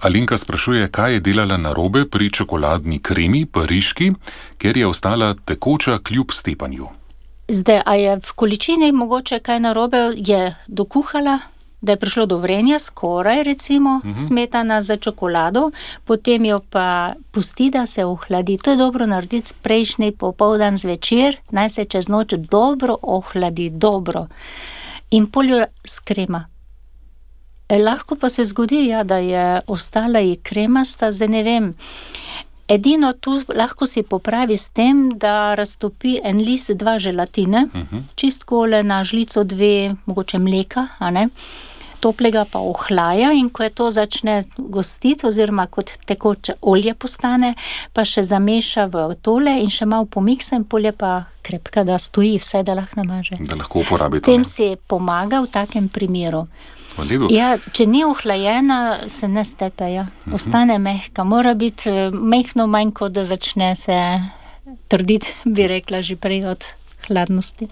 Alenka sprašuje, kaj je delala narobe pri čokoladni kremi, pariški, ker je ostala tekoča kljub stepanju. Zdaj, a je v količini mogoče kaj narobe, je dokuhala, da je prišlo do vrenja, skoraj recimo, smetana za čokolado, potem jo pa pusti, da se ohladi. To je dobro narediti prejšnji popoldan zvečer, naj se čez noč dobro ohladi, dobro. In poljo s krema. Lahko pa se zgodi, ja, da je ostala i kremasta, zdaj ne vem. Edino tu lahko si popravi s tem, da raztopi en list 2 želatine, čistkole na žlico 2, mogoče mleka, a ne? Toplega pa ohlaja in ko je to začne gostiti, oziroma kot tekoče olje postane, pa še zameša v tole in še malo pomiksa in polje pa krepka, da stoji vse, da lahko namaže. Da lahko uporabi to. S tem si pomaga v takem primeru. Ja, če ni ohlajena, se ne stepe, ja. Ostane mehka. Mora biti mehno manj, kot da začne se trditi, bi rekla že prej od hladnosti.